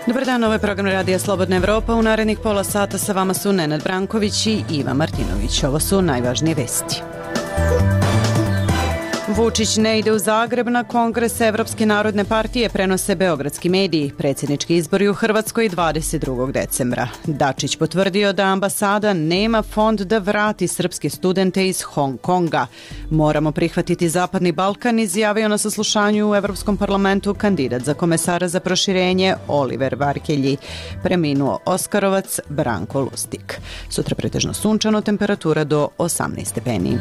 Dobar dan, ovo je program Radija Slobodna Evropa. U narednih pola sata sa vama su Nenad Branković i Iva Martinović. Ovo su najvažnije vesti. Vučić ne ide u Zagreb na kongres Evropske narodne partije, prenose beogradski mediji. Predsjednički izbori u Hrvatskoj 22. decembra. Dačić potvrdio da ambasada nema fond da vrati srpske studente iz Hong Konga. Moramo prihvatiti Zapadni Balkan, izjavio na saslušanju u Evropskom parlamentu kandidat za komesara za proširenje Oliver Varhelji. Preminuo Oskarovac Branko Lustig. Sutra pretežno sunčano, temperatura do 18 stepeni.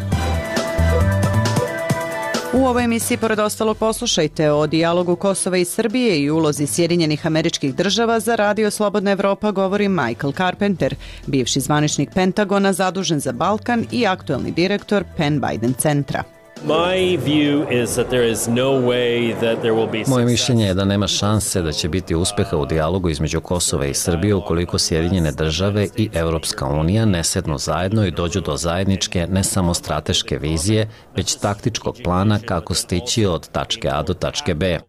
U ovoj emisiji, pored ostalog, poslušajte o dijalogu Kosova i Srbije i ulozi Sjedinjenih Američkih Država. Za Radio Slobodna Evropa govori Michael Carpenter, bivši zvaničnik Pentagona zadužen za Balkan i aktuelni direktor Penn Biden centra. Moje mišljenje je da nema šanse da će biti uspeha u dijalogu između Kosova i Srbije ukoliko Sjedinjene Države i Europska unija ne sednu zajedno i dođu do zajedničke ne samo strateške vizije, već taktičkog plana kako stići od tačke A do tačke B.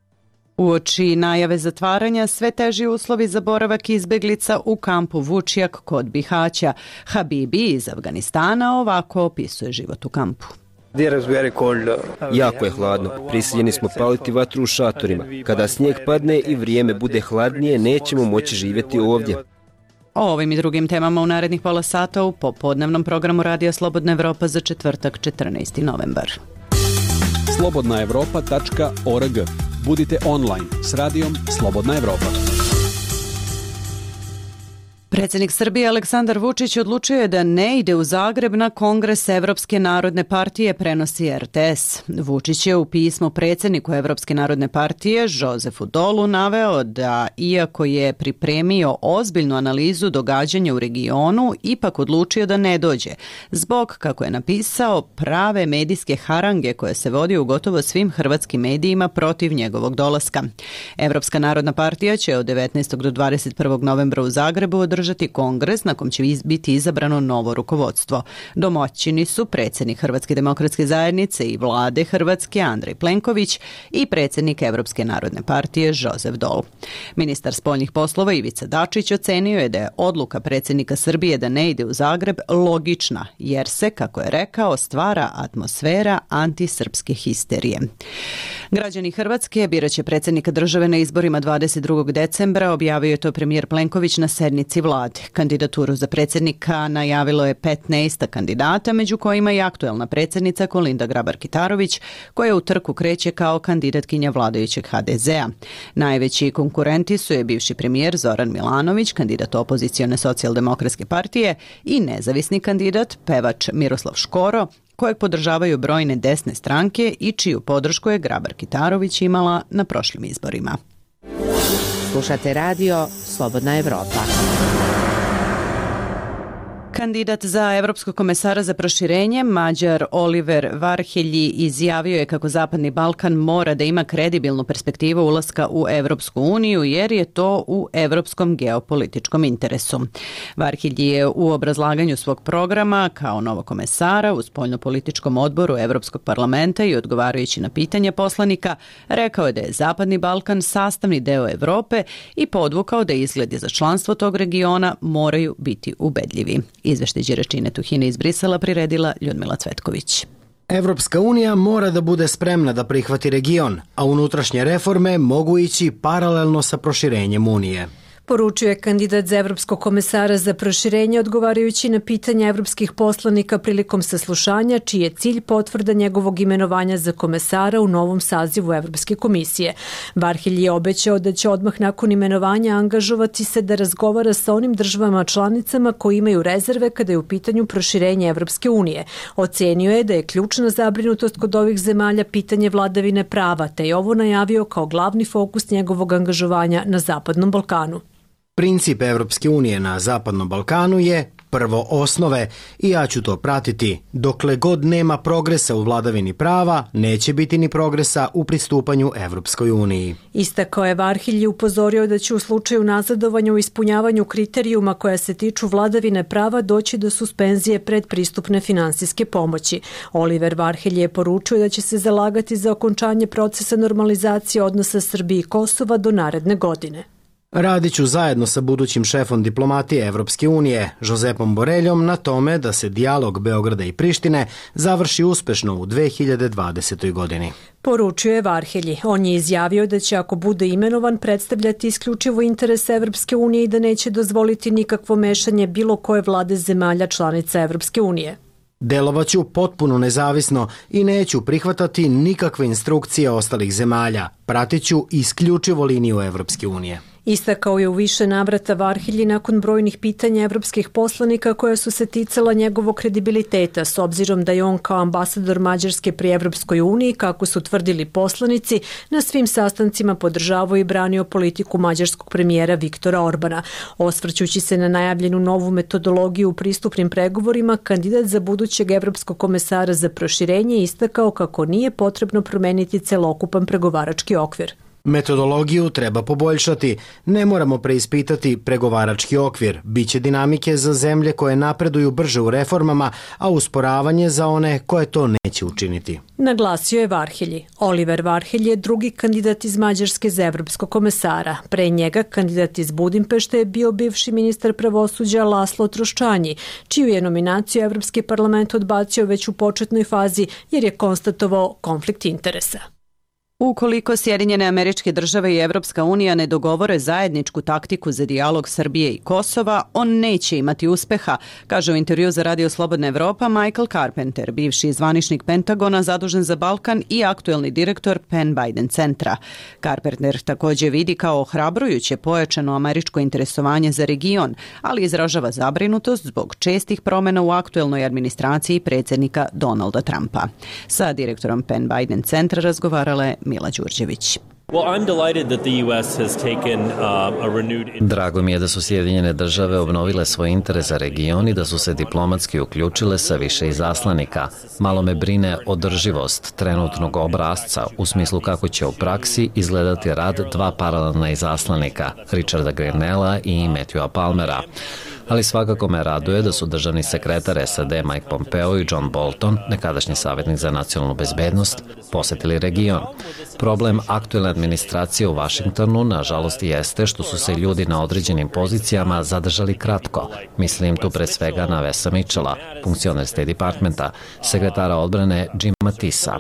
Uoči najave zatvaranja, sve teži uslovi za boravak izbeglica u kampu Vučjak kod Bihaća. Habibi iz Afganistana ovako opisuje život u kampu. Jako je hladno. Prisiljeni smo paliti vatru u šatorima. Kada snijeg padne i vrijeme bude hladnije, nećemo moći živjeti ovdje. O ovim i drugim temama u narednih pola sata u popodnevnom programu Radija Slobodna Evropa za četvrtak 14. novembar. slobodnaevropa.org. Budite online s radijom Slobodna Evropa. Predsjednik Srbije Aleksandar Vučić odlučio je da ne ide u Zagreb na kongres Evropske narodne partije, prenosi RTS. Vučić je u pismu predsjedniku Evropske narodne partije Josefu Dolu naveo da, iako je pripremio ozbiljnu analizu događanja u regionu, ipak odlučio da ne dođe, zbog, kako je napisao, prave medijske harange koje se vodi u gotovo svim hrvatskim medijima protiv njegovog dolaska. Evropska narodna partija će od 19. do 21. novembra u Zagrebu održati kongres na kom će biti izabrano novo rukovodstvo. Domaćini su predsjednik Hrvatske demokratske zajednice i vlade Hrvatske Andrej Plenković i predsjednik Evropske narodne partije Josef Dol. Ministar spoljnih poslova Ivica Dačić ocenio je da je odluka predsjednika Srbije da ne ide u Zagreb logična, jer se, kako je rekao, stvara atmosfera antisrpske histerije. Građani Hrvatske biraće predsjednika države na izborima 22. decembra, objavio je to premijer Plenković na sednici vlade. Kandidaturu za predsjednika najavilo je 15 kandidata, među kojima i aktuelna predsjednica Kolinda Grabar-Kitarović, koja u trku kreće kao kandidatkinja vladajućeg HDZ-a. Najveći konkurenti su je bivši premijer Zoran Milanović, kandidat opozicione socijaldemokratske partije, i nezavisni kandidat, pevač Miroslav Škoro, kojeg podržavaju brojne desne stranke i čiju podršku je Grabar-Kitarović imala na prošlim izborima. Slušate radio Slobodna Evropa. Kandidat za evropskog komesara za proširenje, Mađar Oliver Varhelji, izjavio je kako Zapadni Balkan mora da ima kredibilnu perspektivu ulaska u Evropsku uniju, jer je to u evropskom geopolitičkom interesu. Varhelji je u obrazlaganju svog programa kao novog komesara u spoljnopolitičkom odboru Evropskog parlamenta i odgovarajući na pitanja poslanika, rekao je da je Zapadni Balkan sastavni deo Evrope i podvukao da izgledi za članstvo tog regiona moraju biti ubedljivi. Izveštaj Đeračine Tuhine iz Brisela priredila Ljudmila Cvetković. Evropska unija mora da bude spremna da prihvati region, a unutrašnje reforme mogu ići paralelno sa proširenjem Unije. Poručio je kandidat za evropskog komesara za proširenje odgovarajući na pitanja evropskih poslanika prilikom saslušanja, čiji je cilj potvrda njegovog imenovanja za komesara u novom sazivu Evropske komisije. Varhelji je obećao da će odmah nakon imenovanja angažovati se da razgovara sa onim državama članicama koji imaju rezerve kada je u pitanju proširenje Evropske unije. Ocenio je da je ključna zabrinutost kod ovih zemalja pitanje vladavine prava, te je ovo najavio kao glavni fokus njegovog angažovanja na Zapadnom Balkanu. Princip Evropske unije na Zapadnom Balkanu je prvo osnove i ja ću to pratiti. Dokle god nema progresa u vladavini prava, neće biti ni progresa u pristupanju Evropskoj uniji. Istakao je Varhelj i upozorio da će u slučaju nazadovanja u ispunjavanju kriterijuma koja se tiču vladavine prava doći do suspenzije predpristupne finansijske pomoći. Oliver Varhelj je poručio da će se zalagati za okončanje procesa normalizacije odnosa Srbije i Kosova do naredne godine. Radit ću zajedno sa budućim šefom diplomatije Evropske unije, Josepom Boreljom, na tome da se dijalog Beograda i Prištine završi uspešno u 2020. godini. Poručio je Varhelji. On je izjavio da će, ako bude imenovan, predstavljati isključivo interes Evropske unije i da neće dozvoliti nikakvo mešanje bilo koje vlade zemalja članica Evropske unije. Delovaću potpuno nezavisno i neću prihvatati nikakve instrukcije ostalih zemalja. Pratit ću isključivo liniju Evropske unije. Istakao je u više navrata Varhelji nakon brojnih pitanja evropskih poslanika koja su se ticala njegovog kredibiliteta, s obzirom da je on kao ambasador Mađarske pri Evropskoj uniji, kako su tvrdili poslanici, na svim sastancima podržavao i branio politiku mađarskog premijera Viktora Orbana. Osvrćući se na najavljenu novu metodologiju u pristupnim pregovorima, kandidat za budućeg evropskog komesara za proširenje istakao kako nije potrebno promeniti celokupan pregovarački okvir. Metodologiju treba poboljšati, ne moramo preispitati pregovarački okvir, biće dinamike za zemlje koje napreduju brže u reformama, a usporavanje za one koje to neće učiniti. Naglasio je Varhelji. Oliver Varhelj je drugi kandidat iz Mađarske za evropskog komesara. Pre njega kandidat iz Budimpešte je bio bivši ministar pravosuđa Laslo Troščanji, čiju je nominaciju Evropski parlament odbacio već u početnoj fazi jer je konstatovao konflikt interesa. Ukoliko Sjedinjene Američke Države i Evropska unija ne dogovore zajedničku taktiku za dijalog Srbije i Kosova, on neće imati uspeha, kaže u intervju za Radio Slobodna Evropa Michael Carpenter, bivši zvaničnik Pentagona zadužen za Balkan i aktuelni direktor Penn Biden centra. Carpenter također vidi kao ohrabrujuće pojačano američko interesovanje za region, ali izražava zabrinutost zbog čestih promjena u aktuelnoj administraciji predsjednika Donalda Trumpa. Sa direktorom Penn Biden centra razgovarala je Mila Đurđević. Drago mi je da su Sjedinjene Države obnovile svoj interes za region i da su se diplomatski uključile sa više izaslanika. Malo me brine održivost trenutnog obrasca u smislu kako će u praksi izgledati rad dva paralelna izaslanika, Richarda Grenella i Matthewa Palmera. Ali svakako me raduje da su državni sekretar SAD Mike Pompeo i John Bolton, nekadašnji savjetnik za nacionalnu bezbednost, posjetili region. Problem aktuelne administracije u Vašingtonu, nažalost, jeste što su se ljudi na određenim pozicijama zadržali kratko. Mislim tu pre svega na Wesa Mitchella, funkcioner State Departmenta, sekretara odbrane Jima Mattisa.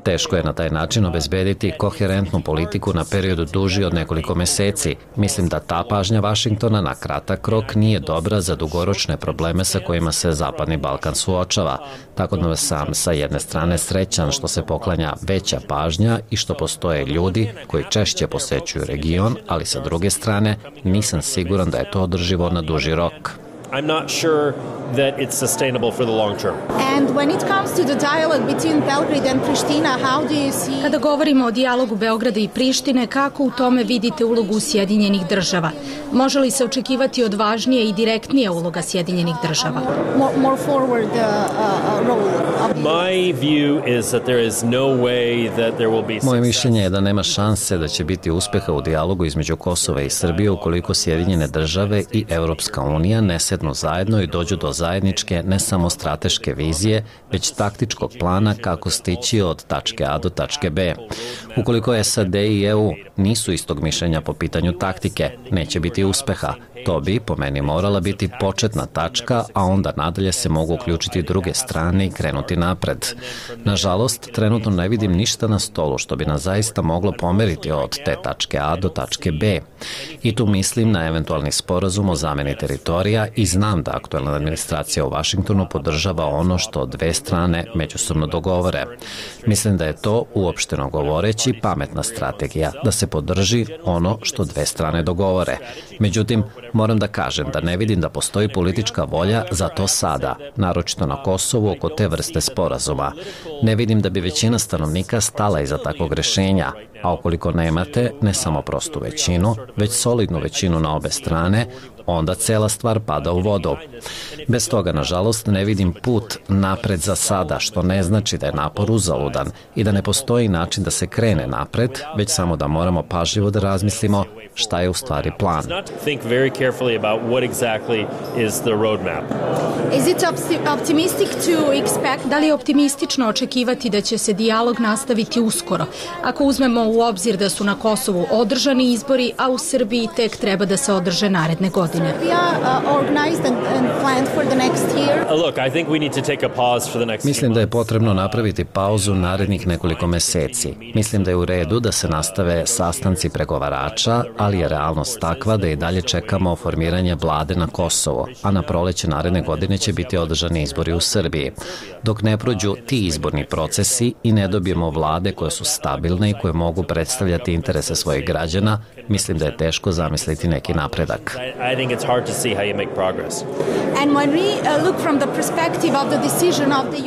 Teško je na taj način obezbediti koherentnu politiku na periodu duži od nekoliko meseci. Mislim da ta pažnja Vašingtona na kratak rok nije dobra za dugoročne probleme sa kojima se Zapadni Balkan suočava. Tako da sam sa jedne strane srećan što se poklanja veća pažnja i što postoje ljudi koji češće posećuju region, ali sa druge strane nisam siguran da je to održivo na duži rok. I'm not sure that it's sustainable for the long term. And when it comes to the dialogue between Belgrade and Pristina, how do you see... Kada govorimo o dijalogu Beograda i Prištine, kako u tome vidite ulogu Sjedinjenih država? Može li se očekivati odvažnije i direktnije uloga Sjedinjenih država? More forward role of... My view is that there is no way that there will be... Moje mišljenje je da nema šanse da će biti uspeha u dijalogu između Kosova i Srbije ukoliko Sjedinjene države i Evropska unija ne sednu zajedno i dođu do zajedničke ne samo strateške vizije, već taktičkog plana kako stići od tačke A do tačke B. Ukoliko SAD i EU nisu istog mišljenja po pitanju taktike, neće biti uspeha. To bi, po meni, morala biti početna tačka, a onda nadalje se mogu uključiti druge strane i krenuti napred. Nažalost, trenutno ne vidim ništa na stolu što bi nas zaista moglo pomeriti od te tačke A do tačke B. I tu mislim na eventualni sporazum o zameni teritorija i znam da aktuelna administracija u Vašingtonu podržava ono što dve strane međusobno dogovore. Mislim da je to, uopšteno govoreći, pametna strategija, da se podrži ono što dve strane dogovore. Međutim, Moram da kažem da ne vidim da postoji politička volja za to sada, naročito na Kosovu oko te vrste sporazuma. Ne vidim da bi većina stanovnika stala iza takvog rešenja, a ukoliko nemate ne samo prostu većinu, već solidnu većinu na obe strane, onda cela stvar pada u vodu. Bez toga, nažalost, ne vidim put napred za sada, što ne znači da je napor uzaludan i da ne postoji način da se krene napred, već samo da moramo pažljivo da razmislimo šta je u stvari plan. Da li je optimistično očekivati da će se dijalog nastaviti uskoro, ako uzmemo u obzir da su na Kosovu održani izbori, a u Srbiji tek treba da se održe naredne godine? Mislim da je potrebno napraviti pauzu narednih nekoliko meseci. Mislim da je u redu da se nastave sastanci pregovarača, ali je realnost takva da i dalje čekamo formiranje vlade na Kosovo, a na proleće naredne godine će biti održani izbori u Srbiji. Dok ne prođu ti izborni procesi i ne dobijemo vlade koje su stabilne i koje mogu predstavljati interese svojih građana, mislim da je teško zamisliti neki napredak.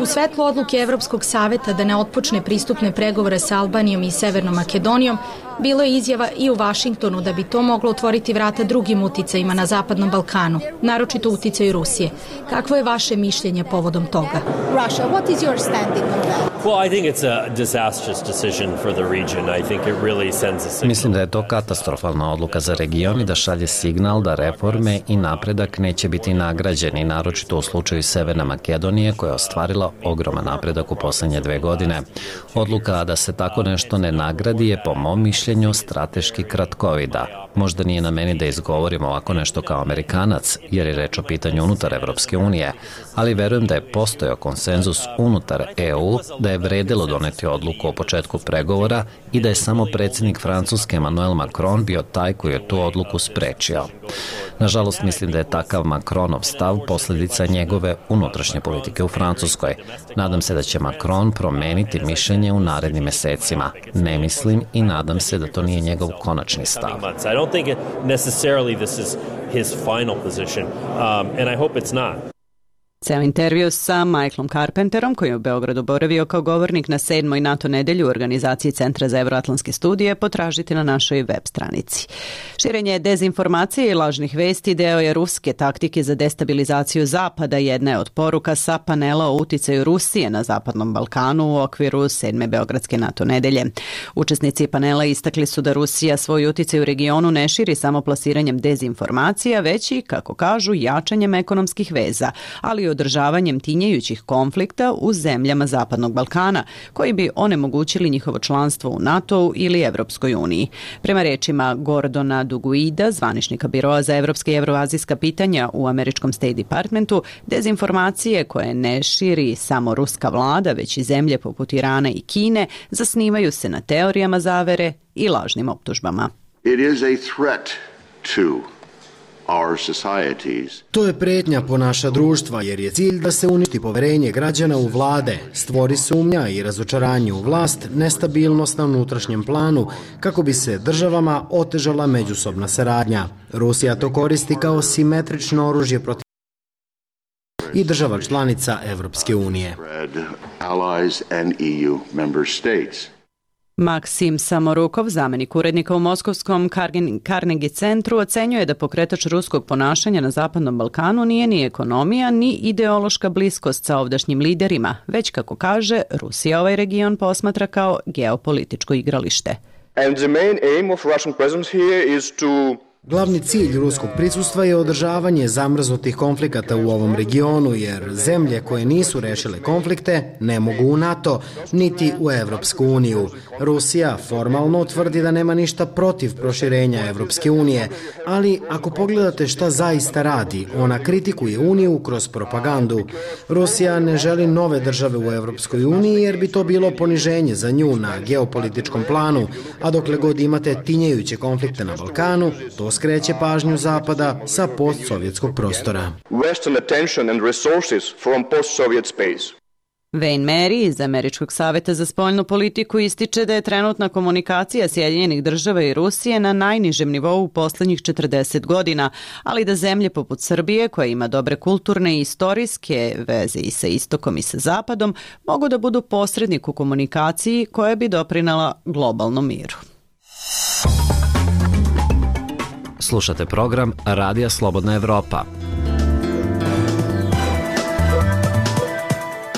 U svetlu odluke Evropskog saveta da ne otpočne pristupne pregovore sa Albanijom i Severnom Makedonijom, bilo je izjava i u Vašingtonu da bi to moglo otvoriti vrata drugim uticajima na Zapadnom Balkanu, naročito uticaju Rusije. Kakvo je vaše mišljenje povodom toga? Russia, what is your standing on that? Well, I think it's a disastrous decision for the region. I think it really sends a signal. Mislim da je to katastrofalna odluka za region i da šalje signal da reforme i napredak neće biti nagrađeni, naročito u slučaju Severne Makedonije koja je ostvarila ogroman napredak u poslednje 2 godine. Odluka da se tako nešto ne nagradi je po mom mišljenju strateški kratkovida. Možda nije na meni da izgovorim ovako nešto kao Amerikanac, jer je reč o pitanju unutar Evropske unije, ali verujem da je postojao konsenzus unutar EU, da je vredelo doneti odluku o početku pregovora i da je samo predsjednik Francuske Emmanuel Macron bio taj koji je tu odluku sprečio. Nažalost, mislim da je takav Macronov stav posljedica njegove unutrašnje politike u Francuskoj. Nadam se da će Macron promeniti mišljenje u narednim mesecima. Ne mislim i nadam se da to nije njegov konačni stav. I don't think necessarily this is his final position, and I hope it's not. Ceo intervju sa Michaelom Carpenterom, koji je u Beogradu boravio kao govornik na 7. NATO nedelju u organizaciji Centra za evroatlantske studije, potražite na našoj web stranici. Širenje dezinformacije i lažnih vesti deo je ruske taktike za destabilizaciju Zapada. Jedna je od poruka sa panela o uticaju Rusije na Zapadnom Balkanu u okviru 7. Beogradske NATO nedelje. Učesnici panela istakli su da Rusija svoj uticaj u regionu ne širi samo plasiranjem dezinformacija, već i, kako kažu, jačanjem ekonomskih veza, ali i održavanjem tinjajućih konflikta u zemljama Zapadnog Balkana, koji bi onemogućili njihovo članstvo u NATO-u ili Evropskoj uniji. Prema rečima Gordona Duguida, zvaničnika Biroa za evropske i evroazijska pitanja u američkom State Departmentu, dezinformacije koje ne širi samo ruska vlada, već i zemlje poput Irana i Kine, zasnivaju se na teorijama zavere i lažnim optužbama. It is a threat to our societies. To je pretnja po naša društva, jer je cilj da se uništi poverenje građana u vlade, stvori sumnja i razočaranje u vlast, nestabilnost na unutrašnjem planu, kako bi se državama otežala međusobna saradnja. Rusija to koristi kao simetrično oružje protiv i država članica Evropske unije. Maksim Samorukov, zamenik urednika u Moskovskom Carnegie centru, ocenjuje da pokretač ruskog ponašanja na Zapadnom Balkanu nije ni ekonomija, ni ideološka bliskost sa ovdašnjim liderima, već, kako kaže, Rusija ovaj region posmatra kao geopolitičko igralište. And the main aim of Russian presence here is to Glavni cilj ruskog prisustva je održavanje zamrznutih konflikata u ovom regionu, jer zemlje koje nisu rešile konflikte ne mogu u NATO, niti u Evropsku uniju. Rusija formalno tvrdi da nema ništa protiv proširenja Evropske unije, ali ako pogledate šta zaista radi, ona kritikuje uniju kroz propagandu. Rusija ne želi nove države u Evropskoj uniji jer bi to bilo poniženje za nju na geopolitičkom planu, a dokle god imate tinjajuće konflikte na Balkanu, to skreće pažnju Zapada sa postsovjetskog prostora. Western attention and resources from post-Soviet space. Wayne Mary iz Američkog saveta za spoljnu politiku ističe da je trenutna komunikacija Sjedinjenih država i Rusije na najnižem nivou u poslednjih 40 godina, ali da zemlje poput Srbije, koja ima dobre kulturne i istorijske veze i sa istokom i sa zapadom, mogu da budu posrednik u komunikaciji koja bi doprinela globalnom miru. Slušate program Radija Slobodna Evropa.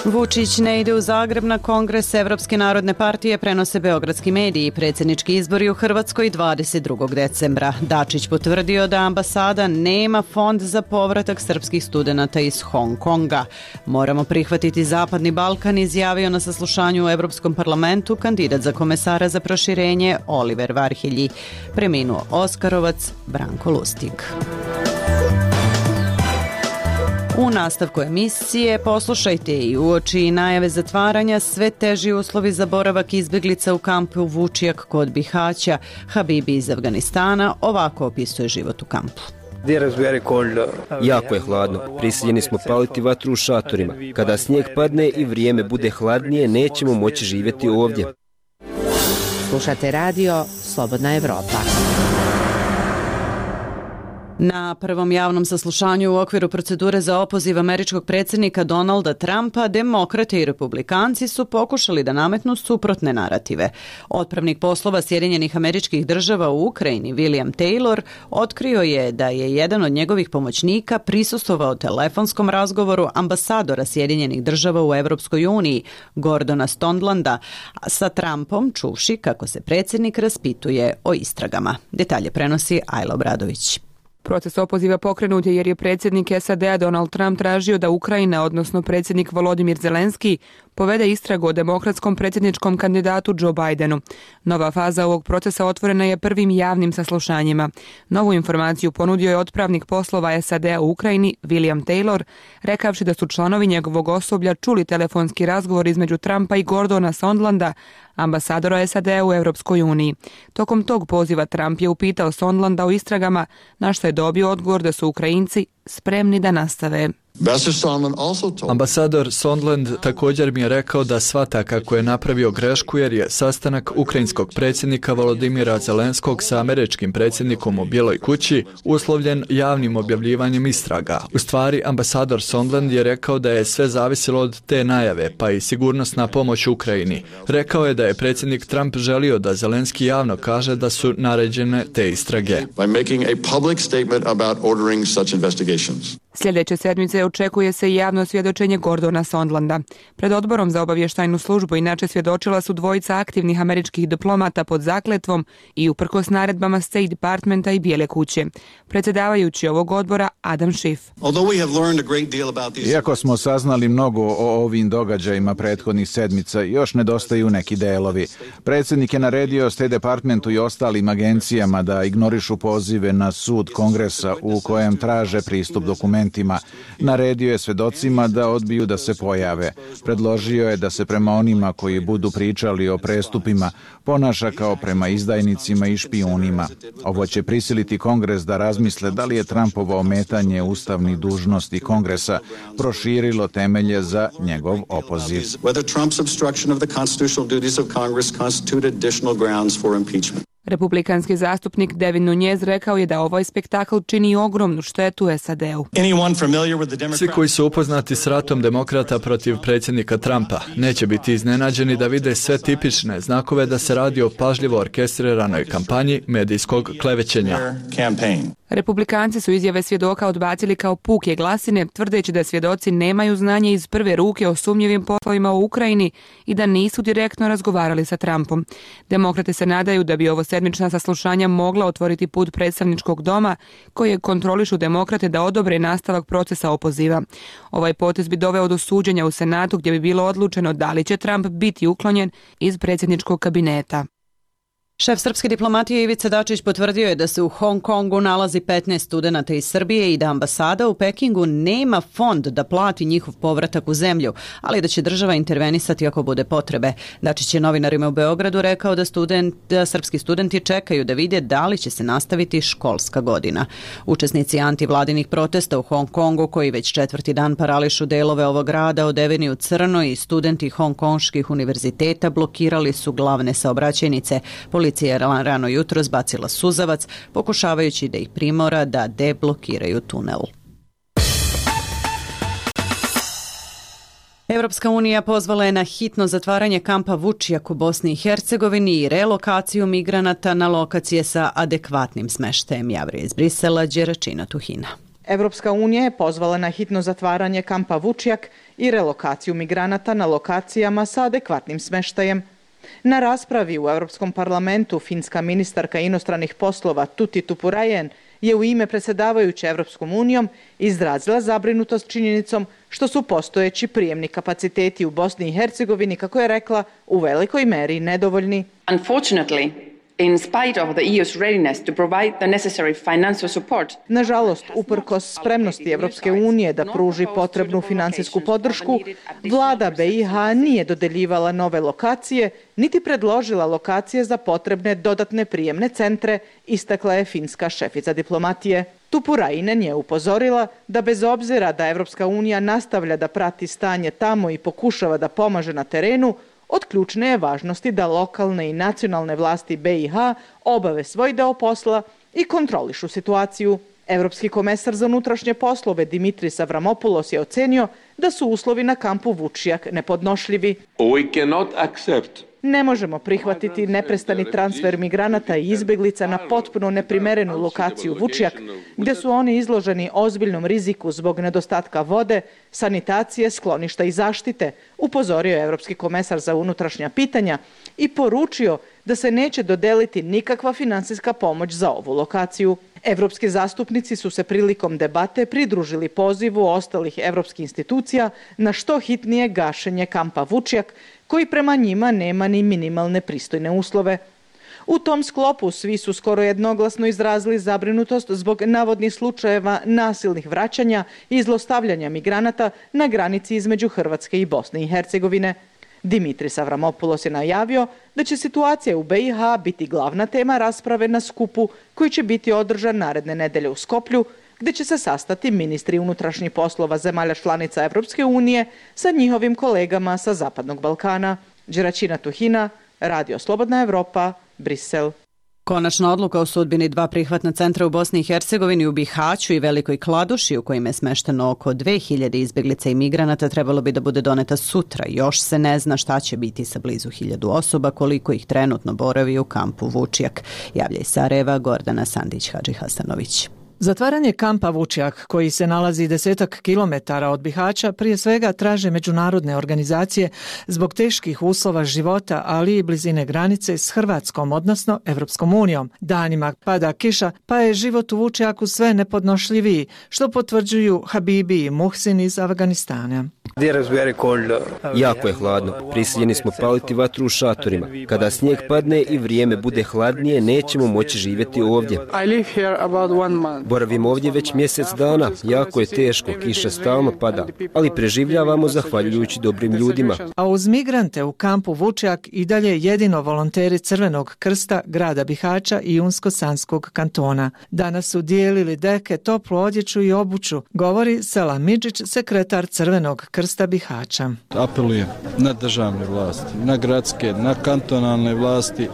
Vučić ne ide u Zagreb na kongres Evropske narodne partije, prenose beogradski mediji. Predsjednički izbori u Hrvatskoj 22. decembra. Dačić potvrdio da ambasada nema fond za povratak srpskih studenata iz Hong Konga. Moramo prihvatiti Zapadni Balkan, izjavio na saslušanju u Evropskom parlamentu kandidat za komesara za proširenje Oliver Varhelji. Preminuo Oskarovac Branko Lustig. U nastavku emisije poslušajte i uoči najave zatvaranja sve teži uslovi za boravak izbjeglica u kampu Vučijak kod Bihaća. Habibi iz Afganistana ovako opisuje život u kampu. Jako je hladno. Prisiljeni smo paliti vatru u šatorima. Kada snijeg padne i vrijeme bude hladnije, nećemo moći živjeti ovdje. Slušate radio Slobodna Evropa. Na prvom javnom saslušanju u okviru procedure za opoziv američkog predsjednika Donalda Trumpa, demokrate i republikanci su pokušali da nametnu suprotne narative. Otpravnik poslova Sjedinjenih Američkih Država u Ukrajini, William Taylor, otkrio je da je jedan od njegovih pomoćnika prisustvovao telefonskom razgovoru ambasadora Sjedinjenih Država u Evropskoj uniji, Gordona Sondlanda, sa Trumpom, čuvši kako se predsjednik raspituje o istragama. Detalje prenosi Ajla Obradović. Proces opoziva pokrenut je jer je predsjednik SAD-a Donald Trump tražio da Ukrajina, odnosno predsjednik Volodimir Zelenski, povede istragu o demokratskom predsjedničkom kandidatu Joe Bidenu. Nova faza ovog procesa otvorena je prvim javnim saslušanjima. Novu informaciju ponudio je otpravnik poslova SAD-a u Ukrajini, William Taylor, rekavši da su članovi njegovog osoblja čuli telefonski razgovor između Trumpa i Gordona Sondlanda, ambasadora SAD-a u Europskoj uniji. Tokom tog poziva Trump je upitao Sondlanda o istragama, na što je dobio odgovor da su Ukrajinci spremni da nastave. Ambasador Sondland također mi je rekao da shvata kako je napravio grešku jer je sastanak ukrajinskog predsjednika Volodimira Zelenskog sa američkim predsjednikom u Bijeloj kući uslovljen javnim objavljivanjem istraga. U stvari, ambasador Sondland je rekao da je sve zavisilo od te najave, pa i sigurnosna pomoć Ukrajini. Rekao je da je predsjednik Trump želio da Zelenski javno kaže da su naređene te istrage. Sljedeće sedmice očekuje se i javno svjedočenje Gordona Sondlanda. Pred odborom za obavještajnu službu inače svjedočila su dvojica aktivnih američkih diplomata pod zakletvom i uprkos naredbama State Departmenta i Bijele kuće. Predsjedavajući ovog odbora Adam Schiff. Iako smo saznali mnogo o ovim događajima prethodnih sedmica, još nedostaju neki delovi. Predsjednik je naredio State Departmentu i ostalim agencijama da ignorišu pozive na sud Kongresa u kojem traže pristup dokumentima. Naredio je svedocima da odbiju da se pojave. Predložio je da se prema onima koji budu pričali o prestupima ponaša kao prema izdajnicima i špijunima. Ovo će prisiliti Kongres da razmisle da li je Trumpovo ometanje ustavnih dužnosti Kongresa proširilo temelje za njegov opoziv. Republikanski zastupnik Devin Nunes rekao je da ovaj spektakl čini ogromnu štetu SAD-u. Svi koji su upoznati s ratom demokrata protiv predsjednika Trumpa neće biti iznenađeni da vide sve tipične znakove da se radi o pažljivo orkestriranoj kampanji medijskog klevećenja. Republikanci su izjave svjedoka odbacili kao puke glasine, tvrdeći da svjedoci nemaju znanje iz prve ruke o sumnjivim poslovima u Ukrajini i da nisu direktno razgovarali sa Trumpom. Demokrate se nadaju da bi ovo sedmična saslušanja mogla otvoriti put predstavničkog doma, koje kontrolišu demokrate da odobre nastavak procesa opoziva. Ovaj potez bi doveo do suđenja u Senatu gdje bi bilo odlučeno da li će Trump biti uklonjen iz predsjedničkog kabineta. Šef srpske diplomatije Ivica Dačić potvrdio je da se u Hong Kongu nalazi 15 studenata iz Srbije i da ambasada u Pekingu nema fond da plati njihov povratak u zemlju, ali da će država intervenisati ako bude potrebe. Dačić je novinarima u Beogradu rekao da srpski studenti čekaju da vide da li će se nastaviti školska godina. Učesnici antivladinih protesta u Hong Kongu, koji već 4. dan parališu delove ovog grada odeveni u crno, i studenti hongkonških univerziteta blokirali su glavne saobraćajnice. Policija je rano jutro zbacila suzavac, pokušavajući da ih primora da deblokiraju tunel. Evropska unija pozvala je na hitno zatvaranje kampa Vučjak u Bosni i Hercegovini i relokaciju migranata na lokacije sa adekvatnim smeštajem, javlja iz Brisela Đeračina Tuhina. Evropska unija je pozvala na hitno zatvaranje kampa Vučjak i relokaciju migranata na lokacijama sa adekvatnim smeštajem. Na raspravi u Europskom parlamentu finska ministarka inostranih poslova Tuti Tupurainen je u ime predsjedavajuće Evropskom unijom izrazila zabrinutost činjenicom što su postojeći prijemni kapaciteti u Bosni i Hercegovini, kako je rekla, u velikoj meri nedovoljni. Unfortunately, in spite of the EU's readiness to provide the necessary financial support. Nažalost, uprkos spremnosti Evropske unije da pruži potrebnu finansijsku podršku, vlada BiH nije dodeljivala nove lokacije, niti predložila lokacije za potrebne dodatne prijemne centre, istakla je finska šefica diplomatije. Tupurainen je upozorila da bez obzira da Evropska unija nastavlja da prati stanje tamo i pokušava da pomaže na terenu, od ključne je važnosti da lokalne i nacionalne vlasti BiH obave svoj deo posla i kontrolišu situaciju. Evropski komesar za unutrašnje poslove Dimitris Avramopoulos je ocenio da su uslovi na kampu Vučjak nepodnošljivi. Ne možemo prihvatiti neprestani transfer migranata i izbjeglica na potpuno neprimerenu lokaciju Vučjak, gdje su oni izloženi ozbiljnom riziku zbog nedostatka vode, sanitacije, skloništa i zaštite, upozorio je Evropski komesar za unutrašnja pitanja i poručio da se neće dodeliti nikakva finansijska pomoć za ovu lokaciju. Evropski zastupnici su se prilikom debate pridružili pozivu ostalih evropskih institucija na što hitnije gašenje kampa Vučjak, koji prema njima nema ni minimalne pristojne uslove. U tom sklopu svi su skoro jednoglasno izrazili zabrinutost zbog navodnih slučajeva nasilnih vraćanja i zlostavljanja migranata na granici između Hrvatske i Bosne i Hercegovine. Dimitris Avramopoulos je najavio da će situacija u BiH biti glavna tema rasprave na skupu koji će biti održan naredne nedelje u Skoplju, gdje će se sastati ministri unutrašnjih poslova zemalja članica Evropske unije sa njihovim kolegama sa Zapadnog Balkana. Đeračina Tuhina, Radio Slobodna Evropa, Brisel. Konačna odluka o sudbini 2 prihvatna centra u Bosni i Hercegovini, u Bihaću i Velikoj Kladuši, u kojima je smešteno oko 2000 izbjeglica i migranata, trebalo bi da bude doneta sutra. Još se ne zna šta će biti sa blizu 1000 osoba, koliko ih trenutno boravi u kampu Vučjak. Javlja iz Sarajeva Gordana Sandić-Hadži-Hasanović. Zatvaranje kampa Vučjak, koji se nalazi 10 kilometara od Bihaća, prije svega traže međunarodne organizacije zbog teških uslova života, ali i blizine granice s Hrvatskom, odnosno Evropskom unijom. Danima pada kiša, pa je život u Vučjaku sve nepodnošljiviji, što potvrđuju Habibi i Muhsin iz Afganistana. Jako je hladno. Prisiljeni smo paliti vatru u šatorima. Kada snijeg padne i vrijeme bude hladnije, nećemo moći živjeti ovdje. Boravimo ovdje već mjesec dana. Jako je teško, kiša stalno pada, ali preživljavamo zahvaljujući dobrim ljudima. A uz migrante u kampu Vučjak i dalje jedino volonteri Crvenog krsta grada Bihaća i Unsko-Sanskog kantona. Danas su dijelili deke, toplu odjeću i obuću, govori Selam Midžić, sekretar Crvenog krsta Bihaća. Apelujem na državne vlasti, na gradske, na kantonalne vlasti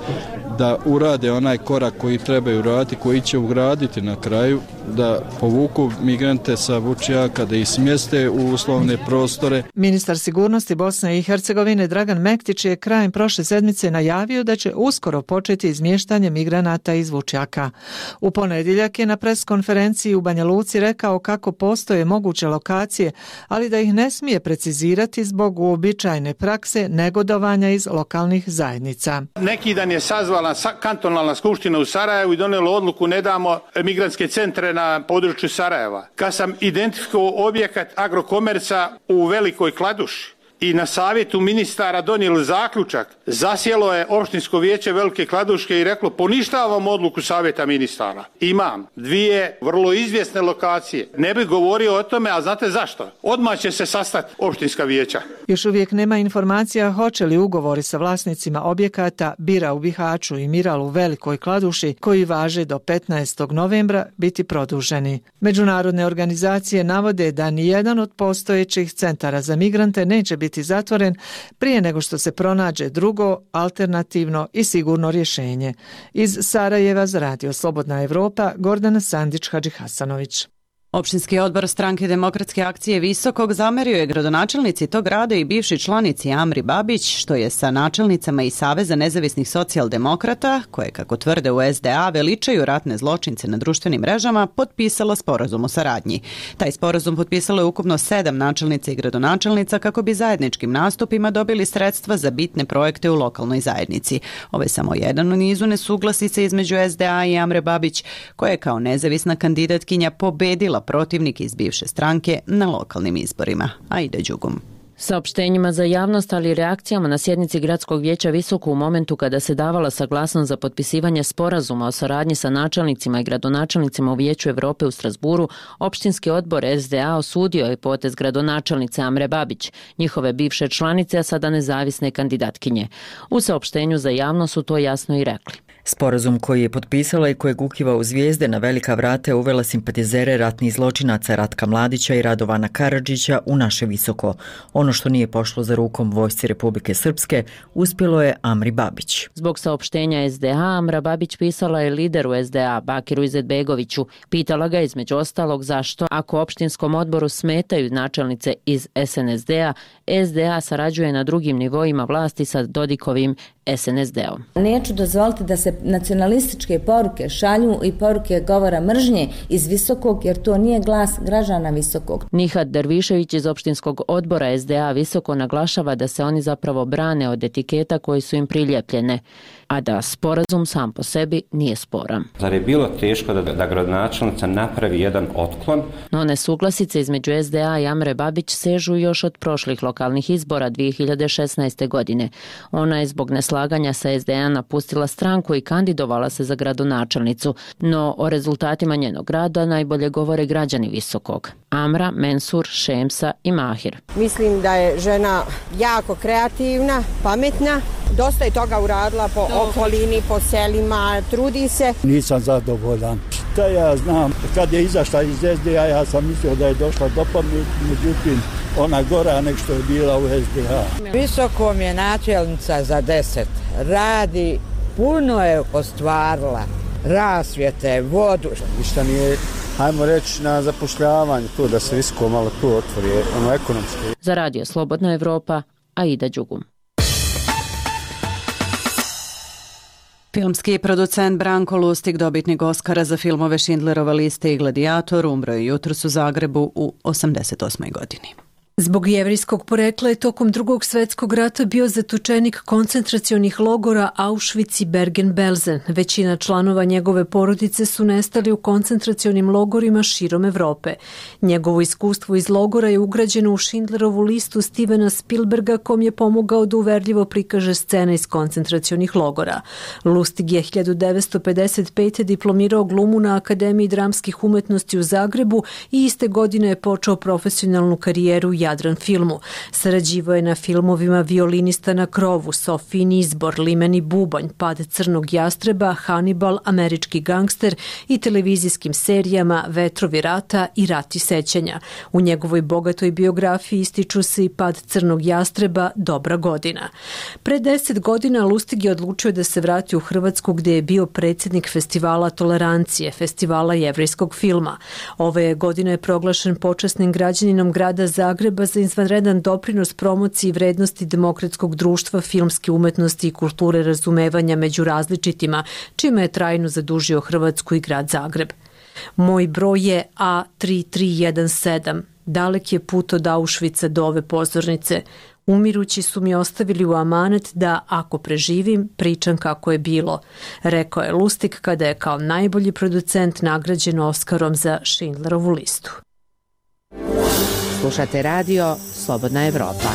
da urade onaj korak koji trebaju uraditi, koji će ugraditi na kraju, da povuku migrante sa Vučjaka, da ih smjeste u uslovne prostore. Ministar sigurnosti Bosne i Hercegovine Dragan Mektić je krajem prošle sedmice najavio da će uskoro početi izmještanje migranata iz Vučjaka. U ponedjeljak je na preskonferenciji u Banja Luci rekao kako postoje moguće lokacije, ali da ih ne smije precizirati zbog uobičajene prakse negodovanja iz lokalnih zajednica. Neki dan je sazvala kantonalna skupština u Sarajevu i donijela odluku ne damo migrantske centre na području Sarajeva. Kad sam identifikovao objekat Agrokomerca u Velikoj Kladuši, i na savjetu ministara donijeli zaključak, zasjelo je opštinsko vijeće Velike Kladuške i reklo poništavam odluku savjeta ministara. Imam 2 vrlo izvjesne lokacije. Ne bih govorio o tome, a znate zašto? Odmah će se sastati opštinska vijeća. Još uvijek nema informacija hoće li ugovori sa vlasnicima objekata Bira u Bihaću i Miral u Velikoj Kladuši, koji važe do 15. novembra, biti produženi. Međunarodne organizacije navode da nijedan od postojećih centara za migrante neće biti zatvoren prije nego što se pronađe drugo, alternativno i sigurno rješenje. Iz Sarajeva za Radio Slobodna Evropa, Gordana Sandić-Hadžihasanović. Opštinski odbor Stranke demokratske akcije Visokog zamerio je gradonačelnici tog grada i bivši članici Amri Babić, što je sa načelnicama i Saveza nezavisnih socijaldemokrata, koje, kako tvrde u SDA, veličaju ratne zločince na društvenim mrežama, potpisala sporazum o saradnji. Taj sporazum potpisalo je ukupno 7 načelnica i gradonačelnica kako bi zajedničkim nastupima dobili sredstva za bitne projekte u lokalnoj zajednici. Ovo je samo jedan u nizu nesuglasice između SDA i Amre Babić, koja je kao nezavisna kandidatkinja pobedila protivnik iz bivše stranke na lokalnim izborima. Aida Đugum. Saopštenjima za javnost, ali i reakcijama na sjednici Gradskog vijeća Visoko u momentu kada se davala saglasnost za potpisivanje sporazuma o saradnji sa načelnicima i gradonačelnicima u Vijeću Evrope u Strasburu, opštinski odbor SDA osudio je potez gradonačelnice Amre Babić, njihove bivše članice, a sada nezavisne kandidatkinje. U saopštenju za javnost su to jasno i rekli. Sporazum koji je potpisala i kojeg ukiva u zvijezde na velika vrata uvela simpatizere ratnih zločinaca Ratka Mladića i Radovana Karadžića u naše Visoko. Ono što nije pošlo za rukom vojsci Republike Srpske uspjelo je Amri Babić. Zbog saopštenja SDA, Amra Babić pisala je lideru SDA, Bakiru Izetbegoviću. Pitala ga između ostalog zašto, ako opštinskom odboru smetaju načelnice iz SNSD-a, SDA sarađuje na drugim nivoima vlasti sa Dodikovim SNSD-om. Neću dozvoliti da se nacionalističke poruke šalju i poruke govora mržnje iz Visokog, jer to nije glas građana Visokog. Nihat Dervišević iz opštinskog odbora SDA Visoko naglašava da se oni zapravo brane od etiketa koji su im priljepljene, a da sporazum sam po sebi nije sporan. Zar je bilo teško da gradonačelnica napravi jedan otklon? No nesuglasice između SDA i Amre Babić sežu još od prošlih lokalnih izbora 2016. godine. Ona je zbog neslaganja sa SDA napustila stranku i kandidovala se za gradonačelnicu, no o rezultatima njenog rada najbolje govore građani Visokog. Amra, Mensur, Šemsa i Mahir. Mislim da je žena jako kreativna, pametna, dosta je toga uradila po okolini, po selima, trudi se. Nisam zadovoljan. Šta ja znam, kad je izašla iz SDA, ja sam mislio da je došla do pameti, međutim, ona gora nek što je bila u SDA. Visokom je načelnica za 10. Radi, puno je ostvarila. Rasvjete, vodu. Ništa nije, hajmo reći, na zapošljavanje, to da se Visoko malo tu otvori, ono ekonomski. Za Radio Slobodna Evropa, Aida Đugum. Filmski producent Branko Lustig, dobitnik Oskara za filmove Schindlerova lista i Gladiator, umro je jutros u Zagrebu u 88. godini. Zbog jevrijskog porekla je tokom Drugog svjetskog rata bio zatočenik koncentracionih logora Auschwitz i Bergen-Belsen. Većina članova njegove porodice su nestali u koncentracionim logorima širom Evrope. Njegovo iskustvo iz logora je ugrađeno u Schindlerovu listu Stevena Spielberga, kom je pomogao da uverljivo prikaže scene iz koncentracionih logora. Lustig je 1955. diplomirao glumu na Akademiji dramskih umetnosti u Zagrebu i iste godine je počeo profesionalnu karijeru u Jadran filmu. Sarađivao je na filmovima Violinista na krovu, Sofijin izbor, Limeni bubanj, Pad crnog jastreba, Hannibal, Američki gangster i televizijskim serijama Vetrovi rata i Rati sećanja. U njegovoj bogatoj biografiji ističu se i Pad crnog jastreba, Dobra godina. Pre 10 godina Lustig je odlučio da se vrati u Hrvatsku, gdje je bio predsjednik Festivala Tolerancije, festivala jevrijskog filma. Ove godine je proglašen počasnim građaninom grada Zagreba za izvanredan doprinos promociji vrednosti demokratskog društva, filmske umetnosti i kulture razumevanja među različitima, čime je trajno zadužio Hrvatsku i grad Zagreb. Moj broj je A3317. Dalek je put od Auschwitza do ove pozornice. Umirući su mi ostavili u amanet da, ako preživim, pričam kako je bilo, rekao je Lustig kada je kao najbolji producent nagrađen Oskarom za Schindlerovu listu. Slušate radio Slobodna Evropa.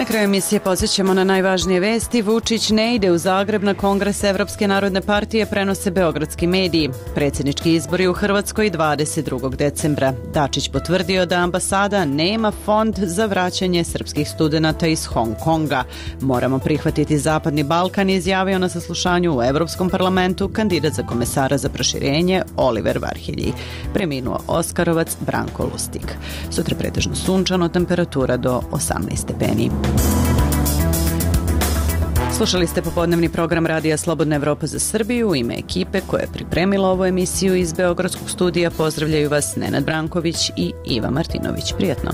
Na kraju emisije podsjećamo na najvažnije vesti. Vučić ne ide u Zagreb na kongres Evropske narodne partije, prenose beogradski mediji. Predsjednički izbori u Hrvatskoj 22. decembra. Dačić potvrdio da ambasada nema fond za vraćanje srpskih studenata iz Hong Konga. Moramo prihvatiti Zapadni Balkan, izjavio na saslušanju u Evropskom parlamentu kandidat za komesara za proširenje Oliver Varhelji. Preminuo Oskarovac Branko Lustig. Sutra pretežno sunčano, temperatura do 18 stepeni. Slušali ste popodnevni program Radija Slobodna Evropa za Srbiju. U ime ekipe koja je pripremila ovu emisiju iz Beogradskog studija pozdravljaju vas Nenad Branković i Iva Martinović. Prijatno.